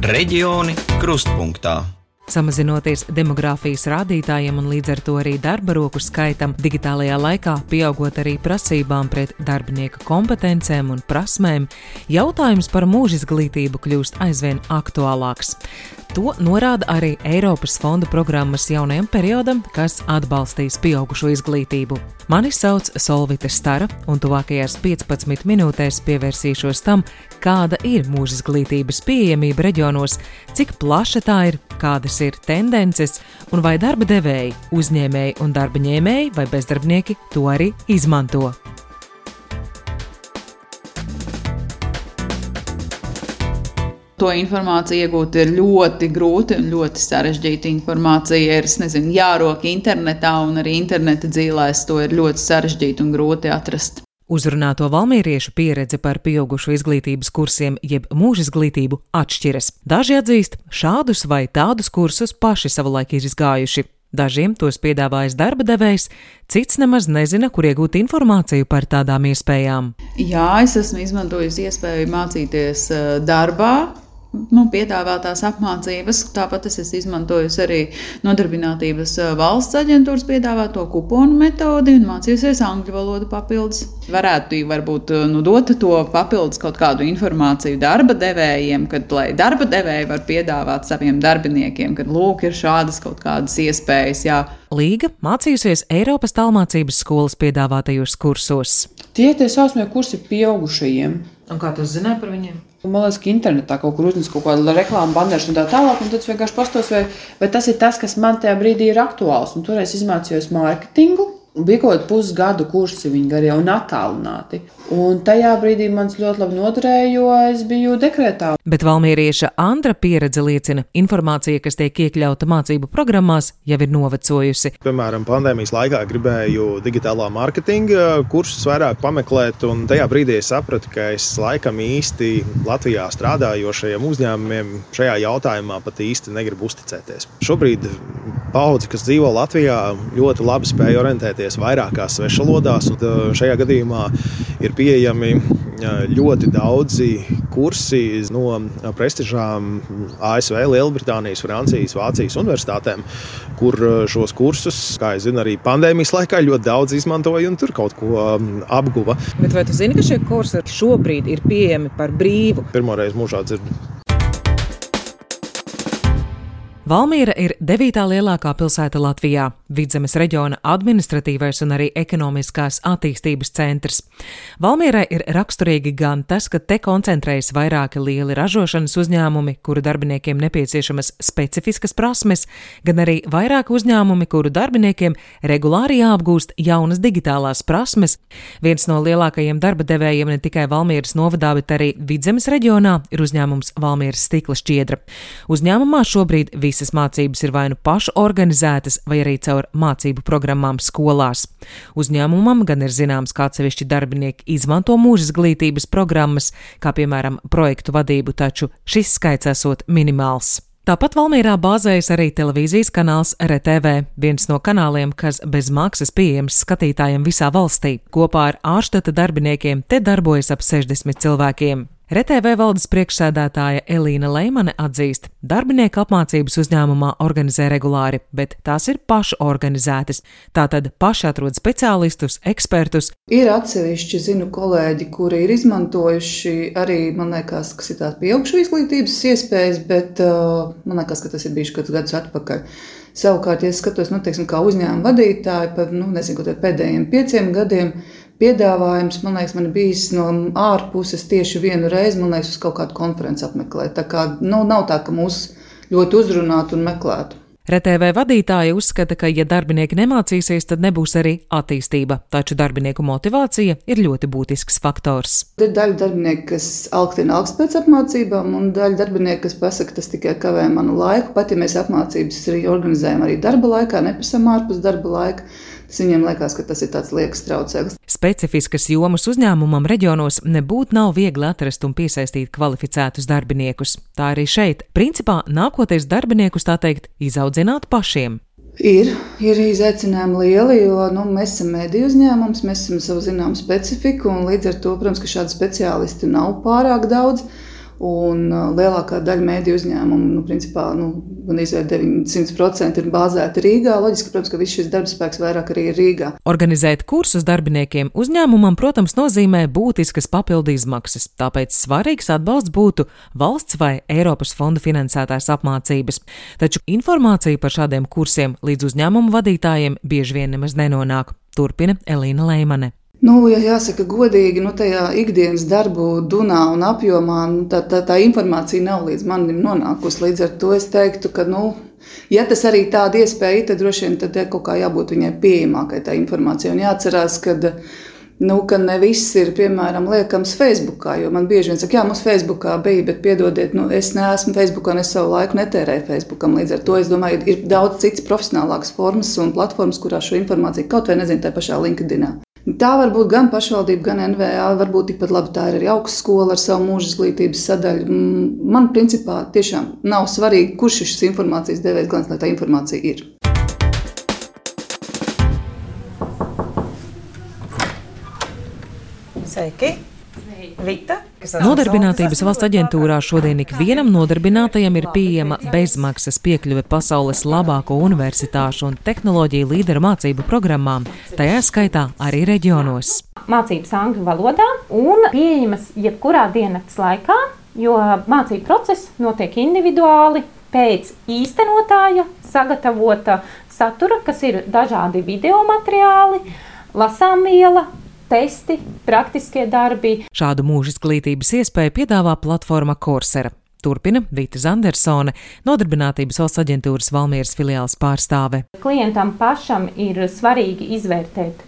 Reģioni krustpunktā. Samazinoties demogrāfijas rādītājiem un līdz ar to arī darba roku skaitam, digitālajā laikā pieaugot arī prasībām pret darbinieku kompetencēm un prasmēm, jautājums par mūžizglītību kļūst aizvien aktuālāks. To norāda arī Eiropas fondu programmas jaunajam periodam, kas atbalstīs pieaugušo izglītību. Mani sauc Solvita Stara, un tuvākajās 15 minūtēs pievērsīšos tam, kāda ir mūžizglītības pieejamība reģionos, cik plaša tā ir, kādas ir tendences, un vai darba devēji, uzņēmēji un darba ņēmēji vai bezdarbnieki to arī izmanto. To informāciju iegūt ir ļoti grūti un ļoti sarežģīta informācija. Ir, jārok internetā un arī interneta dzīlēs to ir ļoti sarežģīti un grūti atrast. Uzrunāto valmieriešu pieredze par pieaugušo izglītības kursiem jeb mūžizglītību atšķiras. Daži atzīst, šādus vai tādus kursus paši savulaik ir izgājuši. Dažiem tos piedāvājas darba devējs, cits nemaz nezina, kur iegūt informāciju par tādām iespējām. Jā, es esmu izmantojusi iespēju mācīties darbā. Piedāvātās apmācības, tāpat es esmu izmantojusi arī Nodarbinātības valsts aģentūras piedāvāto kuponu metodi un mācījusies angļu valodu papildus. Varētu varbūt dot to papildus kaut kādu informāciju darba devējiem, lai darba devēji var piedāvāt saviem darbiniekiem, kad lūk ir šādas kaut kādas iespējas. Jā. Līga mācījusies Eiropas tālmācības skolas piedāvātajos kursos. Tie saucamie kursi pieaugušajiem. Un kā tu zināji par viņiem? Man liekas, ka internetā kaut kur uznes kaut kādu reklāmu banderu un tā tālāk, un tad es vienkārši pastos, vai tas ir tas, kas man tajā brīdī ir aktuāls. Un toreiz izmācījos mārketingu, un bija kaut kādu pusgadu kursi viņi garie un attālināti. Un tajā brīdī man ļoti labi noderēja, jo es biju dekrētā. Bet valmierieša Andra pieredze liecina, informācija, kas tiek iekļauta mācību programmās, jau ir novecojusi. Piemēram, pandēmijas laikā gribēju digitālā mārketinga kursus vairāk pameklēt, un tajā brīdī es sapratu, ka es laikam īsti Latvijā strādājošajiem uzņēmumiem šajā jautājumā pat īsti negribu uzticēties. Šobrīd paudze, kas dzīvo Latvijā, ļoti labi spēja orientēties vairākās svešvalodās, un šajā gadījumā ir pieejami ļoti daudzi kursi no prestižām ASV, Lielbritānijas, Francijas, Vācijas universitātēm, kur šos kursus, kā es zinu, arī pandēmijas laikā ļoti daudz izmantoja un tur kaut ko apguva. Bet vai tu zini, ka šie kursi šobrīd ir pieejami par brīvu? Pirmoreiz mūžā dzirdu. Valmiera ir 9. lielākā pilsēta Latvijā, Vidzemes reģiona administratīvais un arī ekonomiskās attīstības centrs. Valmierai ir raksturīgi gan tas, ka te koncentrējas vairāki lieli ražošanas uzņēmumi, kuru darbiniekiem nepieciešamas specifiskas prasmes, gan arī vairāki uzņēmumi, kuru darbiniekiem regulāri jāapgūst jaunas digitālās prasmes. Viens no lielākajiem darba devējiem ne tikai Valmieras novadā, bet arī Vidzemes reģionā ir uzņēmums Valmieras stikla šķiedra. Uzņēmumā šobrīd visas mācības ir vai nu pašu organizētas, vai arī caur mācību programmām skolās. Uzņēmumam gan ir zināms, kā atsevišķi darbinieki izmanto mūžizglītības programmas, kā piemēram projektu vadību, taču šis skaits esot minimāls. Tāpat Valmierā bāzējas arī televīzijas kanāls RTV, viens no kanāliem, kas bez maksas pieejams skatītājiem visā valstī. Kopā ar ārštata darbiniekiem te darbojas ap 60 cilvēkiem. RTV valdes priekšsēdētāja Elīna Leimane atzīst, darbinieku apmācības uzņēmumā organizē regulāri, bet tās ir pašu organizētas. Tātad paši atrod speciālistus, ekspertus. Ir atsevišķi, kolēģi, kuri ir izmantojuši arī, man liekas, kas ir tās pieaugšu izglītības iespējas, bet man liekas, ka tas ir bijuši kādus gadus atpakaļ. Savukārt, ja es skatos, kā uzņēmuma vadītāji par, pēdējiem 5 gadiem, piedāvājums, man liekas, man ir bijis no ārpuses tieši vienu reizi, uz kaut kādu konferenci apmeklēt. Tā kā nav tā, ka mūs ļoti uzrunātu un meklētu. RTV vadītāja uzskata, ka, ja darbinieki nemācīsies, tad nebūs arī attīstība, taču darbinieku motivācija ir ļoti būtisks faktors. Ir daļa darbinieku, kas augtina pēc apmācībām, un daļa darbinieku, kas pasaka, tas tikai kavē manu laiku. Pat ja mēs apmācības arī organizējam arī darba laikā, neprasam ārpus darba laika, tas viņiem liekas, ka tas ir tāds liekas traucēklis. Specifiskas jomas uzņēmumam reģionos nebūtu nav viegli atrast un piesaistīt kvalificētus darbiniekus. Tā arī šeit. Principā nākotnes darbiniekus, tā teikt, izaudzināt pašiem. Ir izaicinājumi lieli, jo mēs esam mediju uzņēmums, mēs esam savu zināmu specifiku, un līdz ar to, protams, ka šādi speciālisti nav pārāk daudz. Un lielākā daļa mēdīju uzņēmumu, principā, gan izvērt 900% ir bāzēti Rīgā. Loģiski, protams, ka viss šis darbspēks vairāk arī ir Rīgā. Organizēt kursus darbiniekiem uzņēmumam, protams, nozīmē būtiskas papildu izmaksas, tāpēc svarīgs atbalsts būtu valsts vai Eiropas fondu finansētās apmācības. Taču informācija par šādiem kursiem līdz uzņēmumu vadītājiem bieži vien nemaz nenonāk. Turpina Elīna Leimane. Ja jāsaka godīgi, tajā ikdienas darbu dunā un apjomā tā informācija nav līdz manim nonākusi. Līdz ar to es teiktu, ka, ja tas arī tāda iespēja, tad droši vien tad kaut kā jābūt viņai pieejamākai tā informācija. Un jāatcerās, ka ne viss ir, piemēram, liekams Facebookā, jo man bieži vien saka, mums Facebookā bija, bet piedodiet, es neesmu Facebookā un es savu laiku netērēju Facebookam. Līdz ar to, es domāju, ir daudz citas profesionālākas formas un platformas, kurā šo informāciju kaut vai tā pašā LinkedInā. Tā var būt gan pašvaldība, gan NVA, varbūt tikpat labi tā ir arī augstskola ar savu mūža izglītības sadaļu. Man principā tiešām nav svarīgi, kurš šis informācijas devējs, galvenais, lai tā informācija ir. Sveiki! Vita, Nodarbinātības valsts aģentūrā šodien ikvienam nodarbinātajam ir pieejama bezmaksas piekļuve pasaules labāko universitāšu un tehnoloģiju līderu mācību programmām, tajā skaitā arī reģionos. Mācības angļu valodā un pieejamas jebkurā diennakts laikā, jo mācību process notiek individuāli pēc īstenotāja sagatavota satura, kas ir dažādi video materiāli, lasāmviela, testi, praktiskie darbi. Šādu mūža izglītības iespēju piedāvā platforma Coursera. Turpina Vita Zandersone, Nodarbinātības valsts aģentūras Valmieras filiāles pārstāve. Klientam pašam ir svarīgi izvērtēt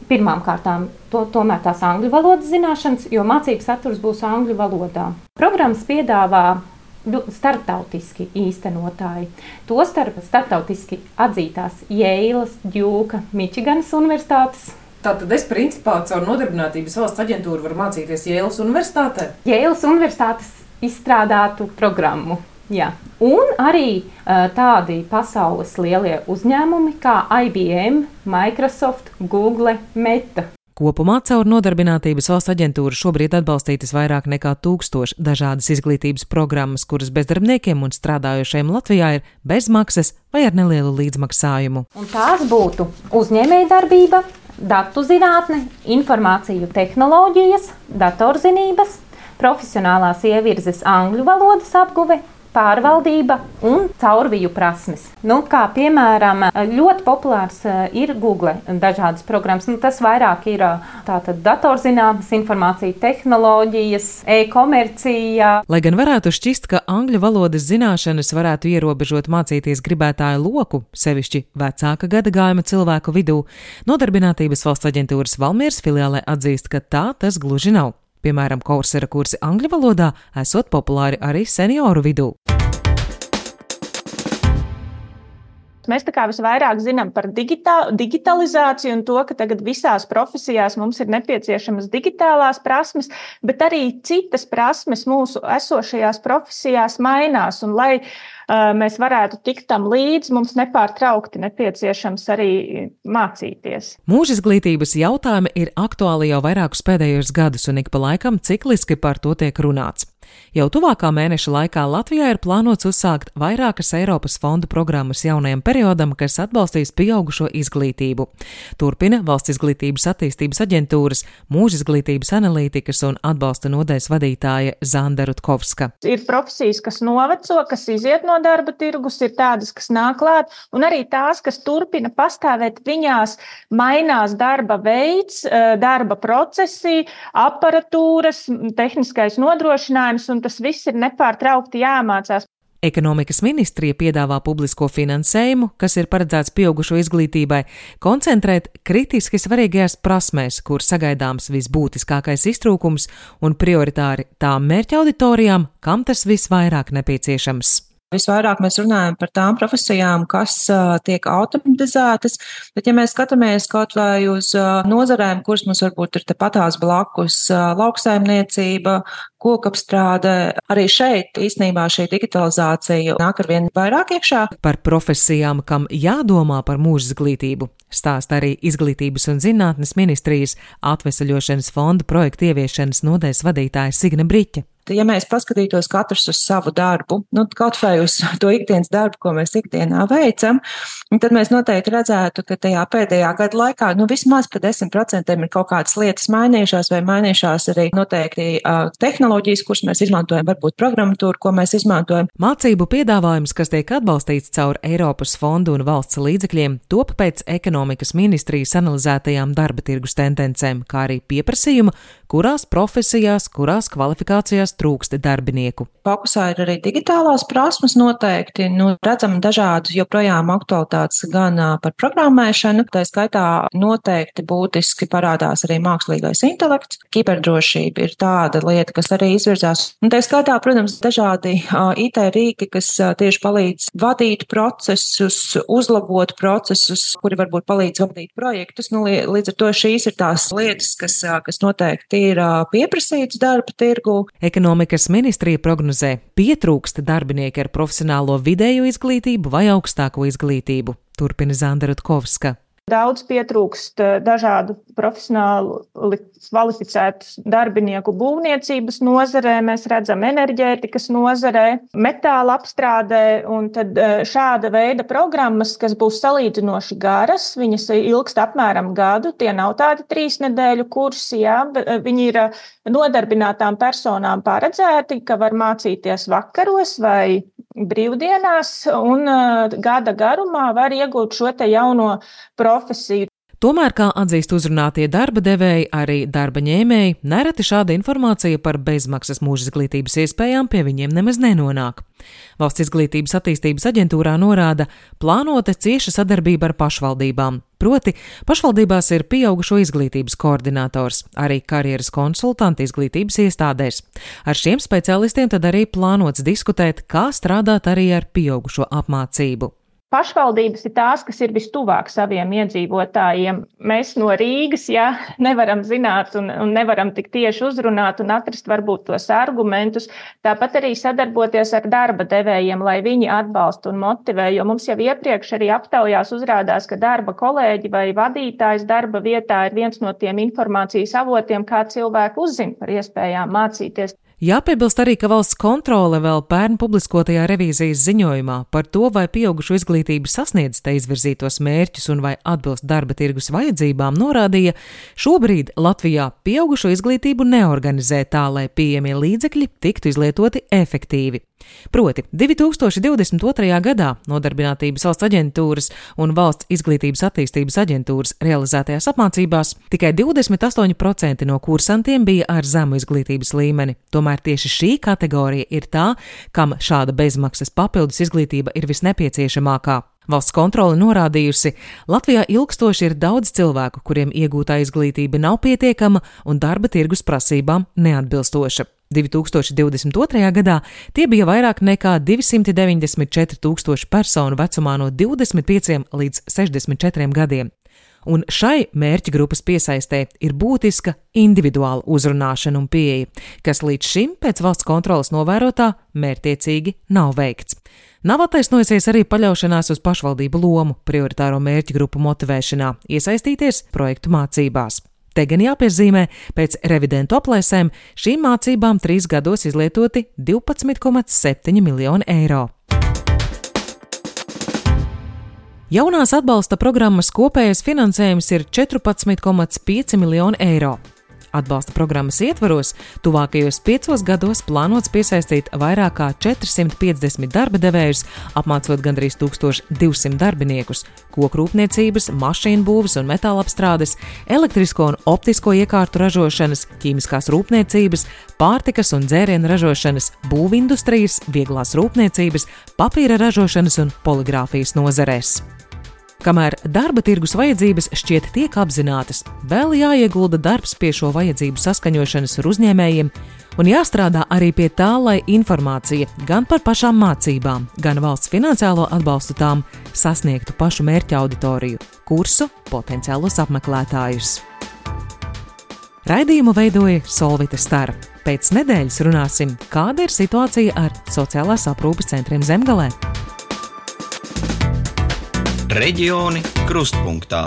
pirmām kārtām tomēr tās angļu valodas zināšanas, jo mācības saturs būs angļu valodā. Programmas piedāvā starptautiski īstenotāji. Tostarp starptautiski atzītās Jeilas, Djūka, Mičiganas universitātes. Tātad es principā caur Nodarbinātības valsts aģentūru varu mācīties Jeilas universitātē? Jeilas universitātes izstrādātu programmu, jā. Un arī tādi pasaules lielie uzņēmumi kā IBM, Microsoft, Google, Meta. Kopumā caur Nodarbinātības valsts aģentūru šobrīd atbalstītas vairāk nekā 1000 dažādas izglītības programmas, kuras bezdarbniekiem un strādājošiem Latvijā ir bez maksas vai ar nelielu līdzmaksājumu. Un tās būtu uzņēmējdarbība, datu zinātne, informāciju tehnoloģijas, datorzinības, profesionālās ievirzes angļu valodas apguve, pārvaldība un caurviju prasmes. Kā piemēram, ļoti populārs ir Google dažādas programmas. Tas vairāk ir tātad datorzinātnes, informācija tehnoloģijas, e-komercija. Lai gan varētu šķist, ka angļu valodas zināšanas varētu ierobežot mācīties gribētāju loku, sevišķi vecāka gadagājuma cilvēku vidū, Nodarbinātības valsts aģentūras Valmieras filiālē atzīst, ka tā tas gluži nav. Piemēram, Coursera kursi angļu valodā esot populāri arī senioru vidū. Mēs visvairāk zinām par digitalizāciju un to, ka tagad visās profesijās mums ir nepieciešamas digitālās prasmes, bet arī citas prasmes mūsu esošajās profesijās mainās. Un, lai mēs varētu tikt tam līdzi, mums nepārtraukti nepieciešams arī mācīties. Mūža izglītības jautājumi ir aktuāli jau vairākus pēdējos gadus un ik pa laikam cikliski par to tiek runāts. Jau tuvākā mēneša laikā Latvijā ir plānots uzsākt vairākas Eiropas fondu programmas jaunajam periodam, kas atbalstīs pieaugušo izglītību. Turpina Valsts izglītības attīstības aģentūras, mūža izglītības analītikas un atbalsta nodaļas vadītāja Zanda Rutkovska. Ir profesijas, kas noveco, kas iziet no darba tirgus, ir tādas, kas nāk klāt, un arī tās, kas turpina pastāvēt, viņās mainās darba veids, darba procesi, aparatūras, tehniskais nodrošinājums, un tas viss ir nepārtraukti jāmācās. Ekonomikas ministrija piedāvā publisko finansējumu, kas ir paredzēts pieaugušo izglītībai, koncentrēt kritiski svarīgajās prasmēs, kur sagaidāms visbūtiskākais iztrūkums un prioritāri tām mērķa auditorijām, kam tas visvairāk nepieciešams. Visvairāk mēs runājam par tām profesijām, kas tiek automatizētas, bet ja mēs skatāmies kaut vai uz nozarēm, kuras mums varbūt ir tepatās blakus, lauksaimniecība, kokapstrāde, arī šeit īstenībā šī digitalizācija nāk arvien vairāk iekšā. Par profesijām, kam jādomā par mūža izglītību, stāsta arī Izglītības un zinātnes ministrijas atvesaļošanas fonda projekta ieviešanas nodaļas vadītāja Signe Briķe. ja mēs paskatītos katrs uz savu darbu, kaut vai uz to ikdienas darbu, ko mēs ikdienā veicam, tad mēs noteikti redzētu, ka tajā pēdējā gada laikā, vismaz pa 10% ir kaut kādas lietas mainījušās vai mainījušās arī noteikti tehnoloģijas, kuras mēs izmantojam, varbūt programmatūru, ko mēs izmantojam. Mācību piedāvājums, kas tiek atbalstīts caur Eiropas fondu un valsts līdzekļiem, top pēc ekonomikas ministrijas analizētajām darba tirgus tendencēm, kā arī pieprasījuma, kurās profesijās, kurās kvalifikācijās trūkst darbinieku. Fokusā ir arī digitālās prasmes noteikti. Redzam dažādas joprojām aktualitātes gan par programmēšanu, tā skaitā noteikti būtiski parādās arī mākslīgais intelekts. Kiberdrošība ir tāda lieta, kas arī izvirzās. Un tā skaitā, protams, dažādi IT rīki, kas tieši palīdz vadīt procesus, uzlabot procesus, kuri varbūt palīdz vadīt projektus. Līdz ar to šīs ir tās lietas, kas noteikti ir pieprasīts darba tirgu. Ekonomikas ministrija prognozē, pietrūkst darbinieki ar profesionālo vidējo izglītību vai augstāko izglītību. Turpina Zanda Rutkovska. Daudz pietrūkst dažādu profesionāli kvalificētu darbinieku būvniecības nozarē, mēs redzam enerģētikas nozarē, metāla apstrādē, un tad šāda veida programmas, kas būs salīdzinoši garas, viņas ilgst apmēram gadu, tie nav tādi 3 nedēļu kursi, viņi ir nodarbinātām personām paredzēti, ka var mācīties vakaros vai brīvdienās, un gada garumā var iegūt šo te jauno profesiju. Tomēr, kā atzīst uzrunātie darba devēji, arī darba ņēmēji, nereti šāda informācija par bezmaksas mūža izglītības iespējām pie viņiem nemaz nenonāk. Valsts izglītības attīstības aģentūrā norāda plānota cieša sadarbība ar pašvaldībām. Proti, pašvaldībās ir pieaugušo izglītības koordinators, arī karjeras konsultanti izglītības iestādēs. Ar šiem speciālistiem tad arī plānots diskutēt, kā strādāt arī ar pieaugušo apmācību. Pašvaldības ir tās, kas ir vistuvāk saviem iedzīvotājiem. Mēs no Rīgas nevaram zināt un nevaram tik tieši uzrunāt un atrast varbūt tos argumentus. Tāpat arī sadarboties ar darba devējiem, lai viņi atbalsta un motivē, jo mums jau iepriekš arī aptaujās uzrādās, ka darba kolēģi vai vadītājs darba vietā ir viens no tiem informācijas avotiem, kā cilvēki uzzina par iespējām mācīties. Jāpiebilst arī, ka valsts kontrole vēl pērn publiskotajā revīzijas ziņojumā par to, vai pieaugušo izglītība sasniedz te izvirzītos mērķus un vai atbilst darba tirgus vajadzībām, norādīja, šobrīd Latvijā pieaugušo izglītību neorganizē tā, lai pieejamie līdzekļi tiktu izlietoti efektīvi. Proti, 2022. gadā Nodarbinātības valsts aģentūras un Valsts izglītības attīstības aģentūras realizētajās apmācībās tikai 28% no kursantiem bija ar zemu izglītības līmeni. Tomēr tieši šī kategorija ir tā, kam šāda bezmaksas papildus izglītība ir visnepieciešamākā. Valsts kontrole norādījusi, Latvijā ilgstoši ir daudz cilvēku, kuriem iegūtā izglītība nav pietiekama un darba tirgus prasībām neatbilstoša. 2022. gadā tie bija vairāk nekā 294 000 personu vecumā no 25 līdz 64 gadiem. Un šai mērķa grupas piesaistē ir būtiska individuāla uzrunāšana un pieeja, kas līdz šim pēc valsts kontroles novērotā mērķtiecīgi nav veikts. Nav attaisnojusies arī paļaušanās uz pašvaldību lomu prioritāro mērķa grupu motivēšanā, iesaistīties projektu mācībās. Te gan jāpiezīmē, pēc revidentu aplēsēm šīm mācībām 3 gados izlietoti 12,7 miljoni eiro. Jaunās atbalsta programmas kopējais finansējums ir 14,5 miljoni eiro. Atbalsta programmas ietvaros tuvākajos 5 gados plānots piesaistīt vairāk kā 450 darba devējus, apmācot gandrīz 1200 darbiniekus kokrūpniecības, mašīnu būves un metālapstrādes, elektrisko un optisko iekārtu ražošanas, ķīmiskās rūpniecības, pārtikas un dzērienu ražošanas, būvindustrijas, vieglās rūpniecības, papīra ražošanas un poligrāfijas nozarēs. Kamēr darba tirgus vajadzības šķiet tiek apzinātas, vēl jāiegulda darbs pie šo vajadzību saskaņošanas ar uzņēmējiem un jāstrādā arī pie tā, lai informācija gan par pašām mācībām, gan valsts finansiālo atbalstu tām sasniegtu pašu mērķa auditoriju, kursu potenciālos apmeklētājus. Raidījumu veidoja Solvita Stara. Pēc nedēļas runāsim, kāda ir situācija ar sociālās aprūpes centriem Zemgalē. Reģioni krustpunktā.